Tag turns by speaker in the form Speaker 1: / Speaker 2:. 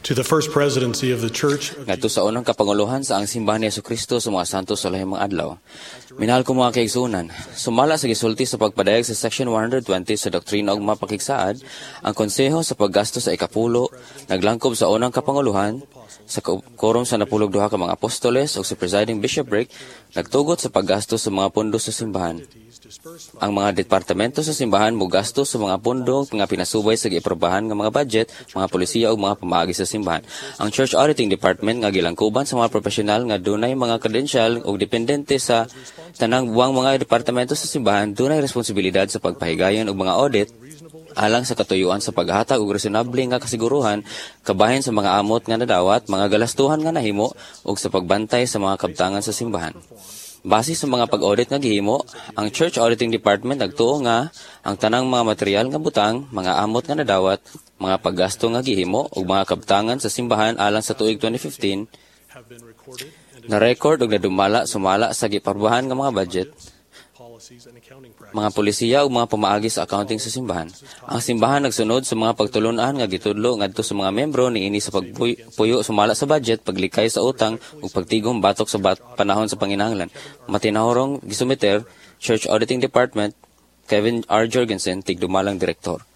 Speaker 1: To the First Presidency of the Church of
Speaker 2: Ngadto sa unang kapanguluhan sa ang Simbahan ni Kristo sa mga Santos sa Lahing mga Adlaw. Minahal ko mga kaigsunan, sumala sa gisulti sa pagpadayag sa Section 120 sa Doktrina ug mga Pakigsaad, ang konseho sa paggasto sa ikapulo naglangkob sa unang kapanguluhan sa korum sa 12 ka mga apostoles ug sa presiding bishopric nagtugot sa paggasto sa mga pondo sa simbahan. Ang mga departamento sa simbahan mogasto sa mga pondo nga pinasubay sa giaprobahan nga mga budget, mga polisiya ug mga pamaagi sa simbahan. Ang Church Auditing Department nga gilangkuban sa mga propesyonal nga dunay mga kredensyal ug dependente sa tanang buwang mga departamento sa simbahan dunay responsibilidad sa pagpahigayon og mga audit alang sa katuyuan sa paghatag og resonable nga kasiguruhan kabahin sa mga amot nga nadawat, mga galastuhan nga nahimo ug sa pagbantay sa mga kabtangan sa simbahan. Base sa mga pag-audit nga gihimo, ang Church Auditing Department nagtuo nga ang tanang mga material nga butang, mga amot nga nadawat, mga paggasto nga gihimo ug mga kabtangan sa simbahan alang sa tuig 2015
Speaker 1: have been recorded and
Speaker 2: na record ug nadumala sumala sa giaprobahan nga mga budget,
Speaker 1: policies and accounting practices.
Speaker 2: Mga polisiya ug mga pamaagi sa accounting sa simbahan. Ang simbahan nagsunod sa mga pagtulun-an nga gitudlo ngadto sa mga membro niini sa pagpuyo sumala sa budget, paglikay sa utang ug pagtigom batok sa panahon sa panginahanglan. Matinahurong gisumiter, Church Auditing Department, Kevin R. Jorgensen, tigdumalang direktor.